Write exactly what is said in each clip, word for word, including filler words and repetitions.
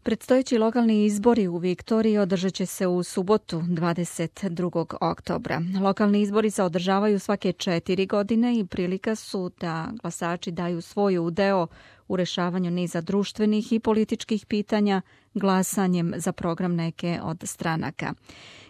Predstojeći lokalni izbori u Viktoriji održat će se u subotu dvadeset drugog oktobra. Lokalni izbori se održavaju svake četiri godine i prilika su da glasači daju svoj udeo u rešavanju niza društvenih i političkih pitanja glasanjem za program neke od stranaka.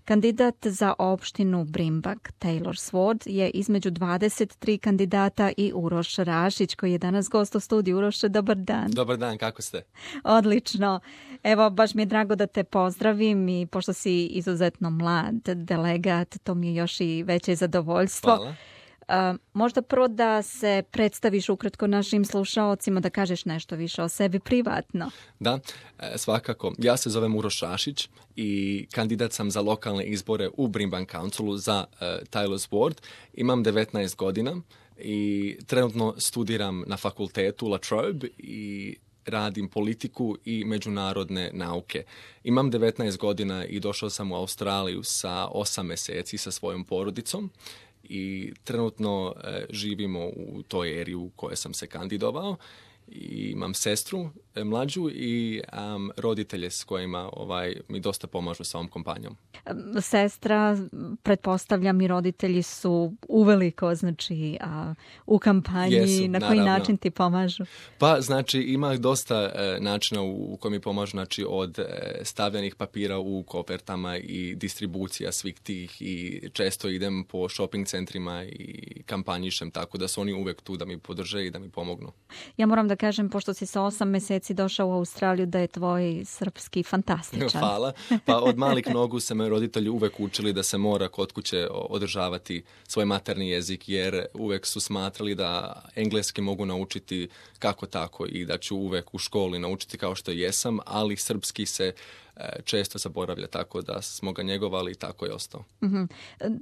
Kandidat za opštinu Brimbak, Taylor Sword, je između dvadeset tri kandidata i Uroš Rašić, koji je danas gost u studiju. Uroše, dobar dan. Dobar dan, kako ste? Odlično. Evo, baš mi je drago da te pozdravim i pošto si izuzetno mlad delegat, to mi je još i veće zadovoljstvo. Hvala. Uh, možda prvo da se predstaviš ukratko našim slušaocima, da kažeš nešto više o sebi privatno. Da, svakako. Ja se zovem Uroš Rašić i kandidat sam za lokalne izbore u Brimbank Councilu za uh, Taylor Sword. Imam devetnaest godina i trenutno studiram na fakultetu La Trobe i radim politiku i međunarodne nauke. Imam devetnaest godina i došao sam u Australiju sa osam mjeseci sa svojom porodicom. I trenutno e, živimo u toj eri u kojoj sam se kandidovao. I imam sestru e, mlađu i um, roditelje s kojima ovaj, mi dosta pomažu sa ovom kompanijom. Sestra, pretpostavljam i roditelji su uveliko, znači, a, u kampanji. Jesu, na koji naravno. način ti pomažu? Pa, znači, ima dosta e, načina u, u kojoj mi pomažu, znači, od e, stavljanih papira u kofertama i distribucija svih tih i često idem po shopping centrima i kampanjišem, tako da su oni uvek tu da mi podrže i da mi pomognu. Ja moram da kažem, pošto si sa osam mjeseci došao u Australiju, da je tvoj srpski fantastičan. Hvala. Pa od malih nogu se me roditelji uvek učili da se mora kod kuće održavati svoj materni jezik, jer uvek su smatrali da engleski mogu naučiti kako tako i da ću uvek u školi naučiti kao što jesam, ali srpski se često zaboravlja, tako da smo ga njegovali i tako je ostao. Mm-hmm.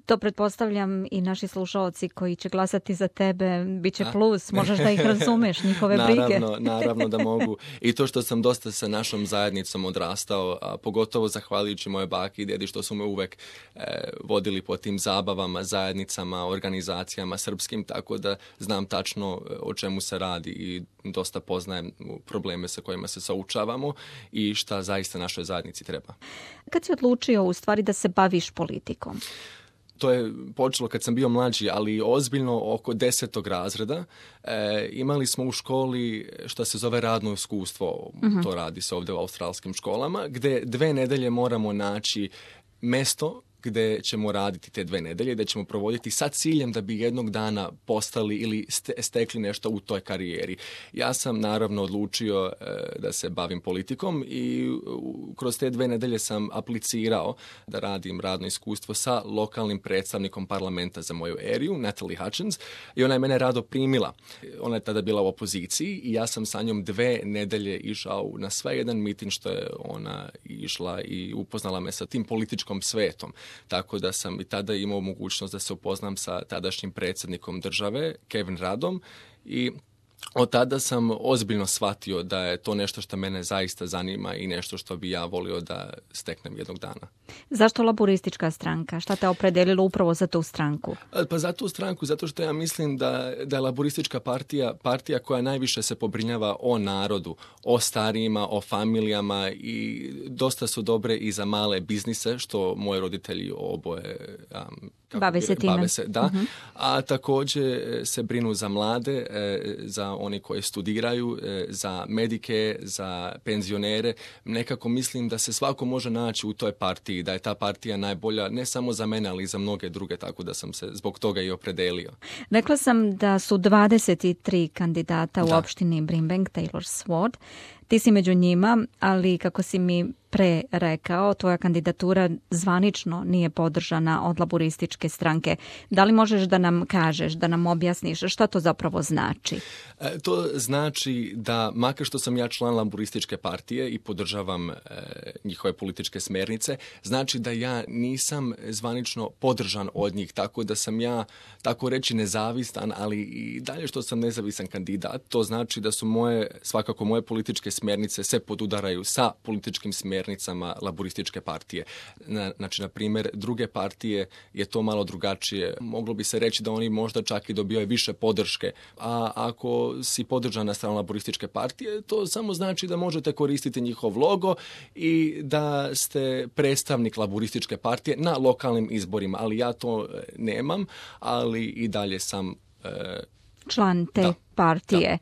To pretpostavljam i naši slušalci koji će glasati za tebe, bit će plus, možeš da ih razumeš, njihove brige. Naravno, naravno da mogu. I to što sam dosta sa našom zajednicom odrastao, a pogotovo zahvaljujući moje baki i dedi što su me uvek e, vodili po tim zabavama, zajednicama, organizacijama srpskim, tako da znam tačno o čemu se radi i dosta poznajem probleme sa kojima se suočavamo i šta zaista našoj zajednici treba. Kad si odlučio u stvari da se baviš politikom? To je počelo kad sam bio mlađi, ali ozbiljno oko desetog razreda. E, imali smo u školi što se zove radno iskustvo, uh-huh. To radi se ovdje u australskim školama, gde dve nedelje moramo naći mesto gde ćemo raditi te dve nedelje, da ćemo provoditi sa ciljem da bi jednog dana postali ili ste, stekli nešto u toj karijeri. Ja sam naravno odlučio e, da se bavim politikom i u, kroz te dve nedelje sam aplicirao da radim radno iskustvo sa lokalnim predstavnikom parlamenta za moju eriju, Natalie Hutchins, i ona je mene rado primila. Ona je tada bila u opoziciji i ja sam sa njom dve nedelje išao na sve jedan miting što je ona išla i upoznala me sa tim političkom svetom. Tako da sam i tada imao mogućnost da se upoznam sa tadašnjim predsjednikom države, Kevin Radom, i od tada sam ozbiljno shvatio da je to nešto što mene zaista zanima i nešto što bi ja volio da steknem jednog dana. Zašto laboristička stranka? Šta te opredelilo upravo za tu stranku? Pa za tu stranku, zato što ja mislim da, da je laboristička partija partija koja najviše se pobrinjava o narodu, o starijima, o familijama i dosta su dobre i za male biznise, što moji roditelji oboje um, bave se time. Bave se, da. Uh-huh. A također se brinu za mlade, za oni koji studiraju, za medike, za penzionere. Nekako mislim da se svako može naći u toj partiji, da je ta partija najbolja ne samo za mene, ali i za mnoge druge, tako da sam se zbog toga i opredelio. Rekla sam da su dvadeset tri kandidata u da. opštini Brimbank, Taylor Sword. Ti si među njima, ali kako si mi pre rekao, tvoja kandidatura zvanično nije podržana od laborističke stranke. Da li možeš da nam kažeš, da nam objasniš šta to zapravo znači? E, to znači da, makar što sam ja član laborističke partije i podržavam e, njihove političke smernice, znači da ja nisam zvanično podržan od njih, tako da sam ja, tako reći, nezavistan, ali i dalje što sam nezavisan kandidat. To znači da su moje, svakako moje političke smjernice se podudaraju sa političkim smjernicama smjernicama laborističke partije. Na, znači, na primjer, druge partije je to malo drugačije. Moglo bi se reći da oni možda čak i dobijaju više podrške, a ako si podržan na stranu laborističke partije, to samo znači da možete koristiti njihov logo i da ste predstavnik laborističke partije na lokalnim izborima, ali ja to nemam, ali i dalje sam e, član te da, partije.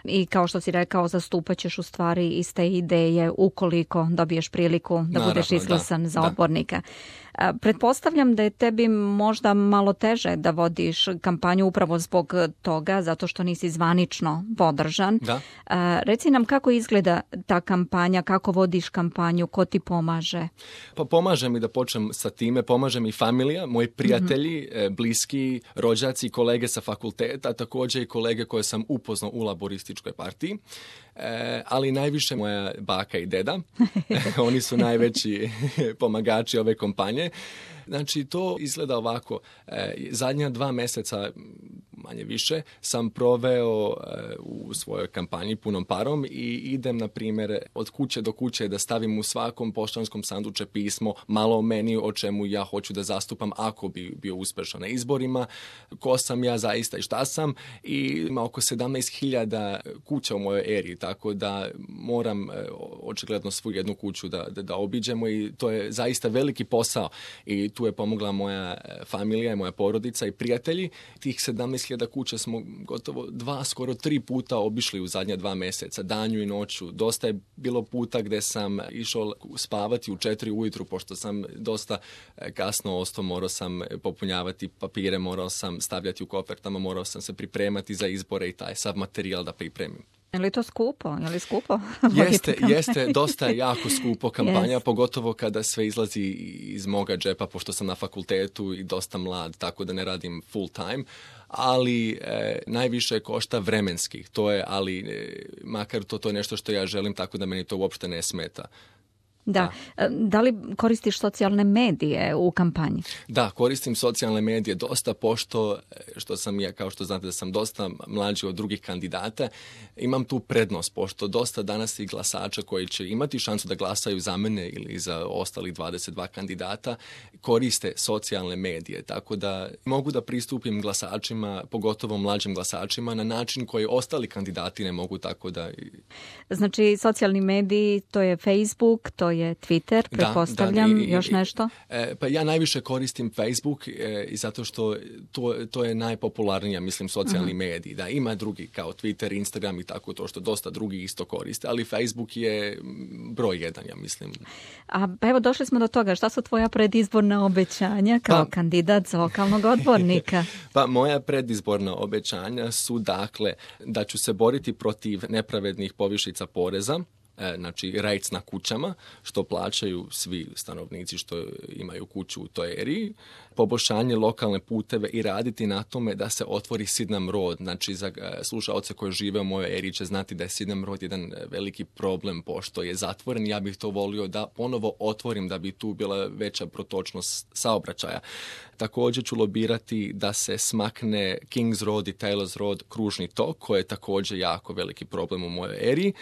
Da. I kao što si rekao, zastupat ćeš u stvari iste ideje ukoliko dobiješ priliku da Naravno, budeš izglasan da, za da. odbornika. Pretpostavljam da je tebi možda malo teže da vodiš kampanju upravo zbog toga, zato što nisi zvanično podržan. Da. Reci nam kako izgleda ta kampanja, kako vodiš kampanju, ko ti pomaže? Pa pomaže mi, da počnem sa time, pomaže mi familija, moji prijatelji, mm-hmm. bliski, rođaci, kolege sa fakulteta, također i kolege koje sam upoznao u laborističkoj partiji. E, ali najviše moja baka i deda. Oni su najveći pomagači ove kampanje. Znači, to izgleda ovako. E, zadnja dva mjeseca, manje više, sam proveo e, u svojoj kampanji punom parom i idem, na primjer, od kuće do kuće da stavim u svakom poštanskom sanduče pismo malo o meni, o čemu ja hoću da zastupam ako bi bio uspješan na izborima, ko sam ja zaista i šta sam. I ima oko sedamnaest hiljada kuća u mojoj eriji, tako da moram e, očigledno svu jednu kuću da, da, da obiđemo i to je zaista veliki posao. I tu je pomogla moja familija i moja porodica i prijatelji. Tih sedamnaest hiljada kuća smo gotovo dva, skoro tri puta obišli u zadnja dva mjeseca, danju i noću. Dosta je bilo puta gdje sam išao spavati u četiri ujutru, pošto sam dosta kasno ostao, morao sam popunjavati papire, morao sam stavljati u kofertama, morao sam se pripremati za izbore i taj sav materijal da pripremim. Je li to skupo? Je li skupo? Jeste, jeste, dosta je jako skupo kampanja, yes. Pogotovo kada sve izlazi iz moga džepa, pošto sam na fakultetu i dosta mlad, tako da ne radim full time, ali e, najviše košta vremenski, to je, ali e, makar to, to je nešto što ja želim, tako da meni to uopšte ne smeta. Da. Da. Da li koristiš socijalne medije u kampanji? Da, koristim socijalne medije dosta, pošto što sam ja, kao što znate da sam dosta mlađi od drugih kandidata, imam tu prednost, pošto dosta danas i glasača koji će imati šansu da glasaju za mene ili za ostalih dvadeset dva kandidata, koriste socijalne medije, tako da mogu da pristupim glasačima, pogotovo mlađim glasačima, na način koji ostali kandidati ne mogu, tako da... Znači, socijalni mediji, to je Facebook, to je Twitter, pretpostavljam, da, da, i, još nešto? E, pa ja najviše koristim Facebook e, i zato što to, to je najpopularnija, mislim, socijalni uh-huh. mediji. Da, ima drugi kao Twitter, Instagram i tako to što dosta drugi isto koriste, ali Facebook je broj jedan, ja mislim. A pa evo, došli smo do toga. Šta su tvoja predizborna obećanja kao pa, kandidat za lokalnog odbornika? Pa moja predizborna obećanja su, dakle, da ću se boriti protiv nepravednih povišica poreza, znači rejc na kućama, što plaćaju svi stanovnici što imaju kuću u toj eriji, poboljšanje lokalne puteve i raditi na tome da se otvori Sydenham Road. Znači, za slušaoce koji žive u mojoj eriji će znati da je Sydenham Road jedan veliki problem, pošto je zatvoren. Ja bih to volio da ponovo otvorim, da bi tu bila veća protočnost saobraćaja. Također ću lobirati da se smakne Kings Road i Taylor's Road, kružni tok, koji je također jako veliki problem u mojoj eriji.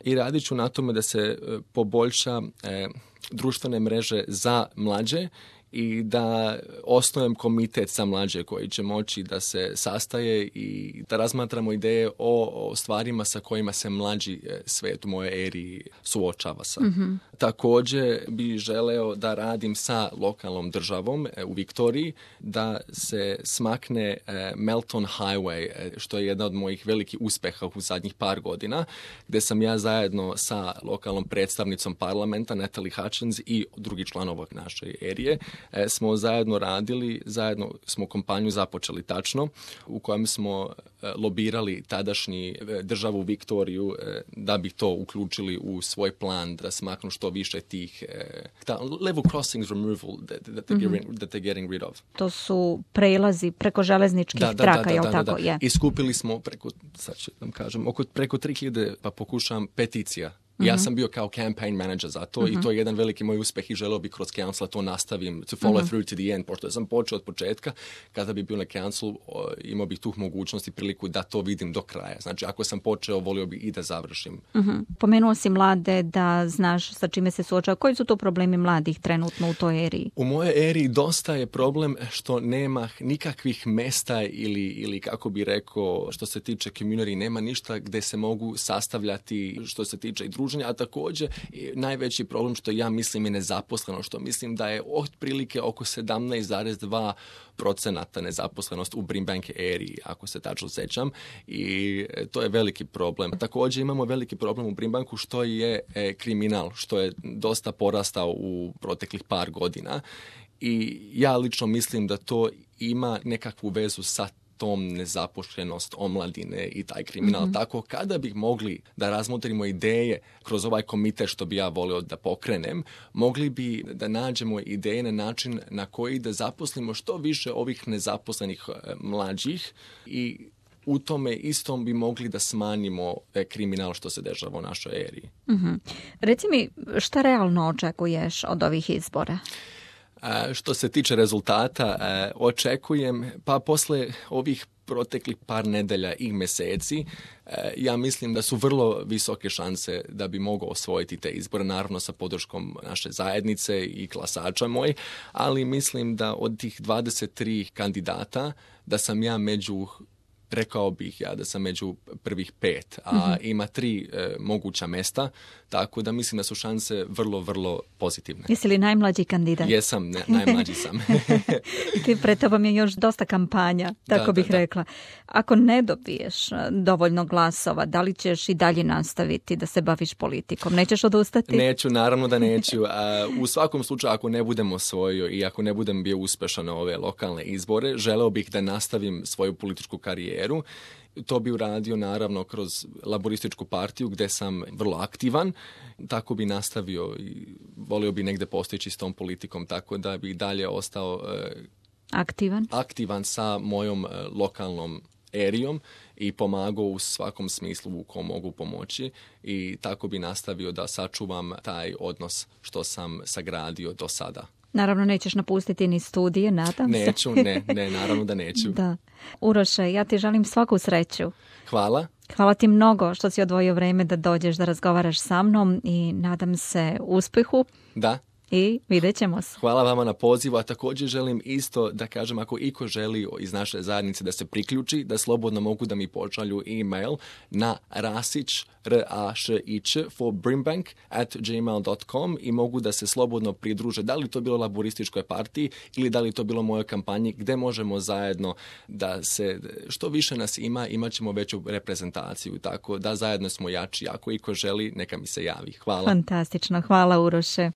I radit ću na tome da se e, poboljša e, društvene mreže za mlađe i da osnujem komitet za mlađe koji će moći da se sastaje i da razmatramo ideje o, o stvarima sa kojima se mlađi svijet u mojoj eriji suočava sa. Mm-hmm. Također bi želeo da radim sa lokalnom državom e, u Viktoriji, da se smakne e, Melton Highway, e, što je jedna od mojih velikih uspjeha u zadnjih par godina, gdje sam ja zajedno sa lokalnom predstavnicom parlamenta Natalie Hutchins i drugi članova naše erije E, smo zajedno radili, zajedno smo kampanju započeli tačno, u kojem smo e, lobirali tadašnji e, državu Viktoriju e, da bi to uključili u svoj plan, da smaknu što više tih e, ta, level crossings removal that, that, they're mm-hmm. getting, that they're getting rid of. To su prelazi preko železničkih da, da, traka, da, jel da, tako? Da, da. Yeah. I skupili smo preko, sad ću vam kažem, oko preko tri hiljade, pa pokušam peticija Mm-hmm. Ja sam bio kao campaign manager za to mm-hmm. i to je jedan veliki moj uspeh i želeo bih kroz council to nastavim, to follow mm-hmm. through to the end, pošto sam počeo od početka, kada bi bio na council, imao bih tu mogućnost i priliku da to vidim do kraja. Znači, ako sam počeo, volio bih i da završim. Mm-hmm. Pomenuo si mlade, da znaš sa čime se suočava. Koji su to problemi mladih trenutno u toj eriji? U mojoj eriji dosta je problem što nema nikakvih mesta ili, ili kako bi rekao, što se tiče community, nema ništa gde se mogu sastavljati što se tiče i druženja, a također najveći problem što ja mislim je nezaposleno, što mislim da je otprilike oko sedamnaest zarez dva procenata nezaposlenost u Brimbank eriji, ako se tačno sećam, i to je veliki problem. Također imamo veliki problem u Brimbanku što je e, kriminal, što je dosta porastao u proteklih par godina i ja lično mislim da to ima nekakvu vezu sa tom nezaposlenost omladine i taj kriminal. Mm-hmm. Tako kada bih mogli da razmotrimo ideje kroz ovaj komitet što bi ja volio da pokrenem, mogli bi da nađemo ideje na način na koji da zaposlimo što više ovih nezaposlenih mlađih i u tome istom bi mogli da smanjimo kriminal što se dešava u našoj eriji. Mm-hmm. Reci mi, šta realno očekuješ od ovih izbora? A, što se tiče rezultata, a, očekujem, pa posle ovih proteklih par nedelja i meseci, a, ja mislim da su vrlo visoke šanse da bi mogao osvojiti te izbore, naravno sa podrškom naše zajednice i glasača moj, ali mislim da od tih dvadeset tri kandidata da sam ja među rekao bih ja da sam među prvih pet, a mm-hmm. ima tri e, moguća mesta, tako da mislim da su šanse vrlo, vrlo pozitivne. Jesi li najmlađi kandidat? Jesam, ne, najmlađi sam. Ti pred tobom je još dosta kampanja, tako da, bih da, rekla. Ako ne dobiješ dovoljno glasova, da li ćeš i dalje nastaviti da se baviš politikom? Nećeš odustati? Neću, naravno da neću. A, u svakom slučaju, ako ne budem osvojio i ako ne budem bio uspešan na ove lokalne izbore, želeo bih da nastavim svoju političku karijeru. To bi uradio naravno kroz laborističku partiju gdje sam vrlo aktivan, tako bi nastavio i volio bi negdje postići s tom politikom, tako da bi dalje ostao e, aktivan. aktivan sa mojom e, lokalnom erijom i pomagao u svakom smislu u kom mogu pomoći i tako bi nastavio da sačuvam taj odnos što sam sagradio do sada. Naravno, nećeš napustiti ni studije, nadam se. Neću, ne, ne, naravno da neću. Da. Uroše, ja ti želim svaku sreću. Hvala. Hvala ti mnogo što si odvojio vreme da dođeš da razgovaraš sa mnom i nadam se uspehu. Da. I vidjet ćemo se. Hvala vama na pozivu, a također želim isto da kažem, ako iko želi iz naše zajednice da se priključi, da slobodno mogu da mi pošalju e-mail na rasić, r a š i ć, for brimbank at gmail dot com i mogu da se slobodno pridruže, da li to bilo laborističkoj partiji ili da li to bilo mojoj kampanji, gde možemo zajedno da se, što više nas ima, imat ćemo veću reprezentaciju, tako da zajedno smo jači. Ako iko želi, neka mi se javi. Hvala. Fantastično. Hvala, Uroše.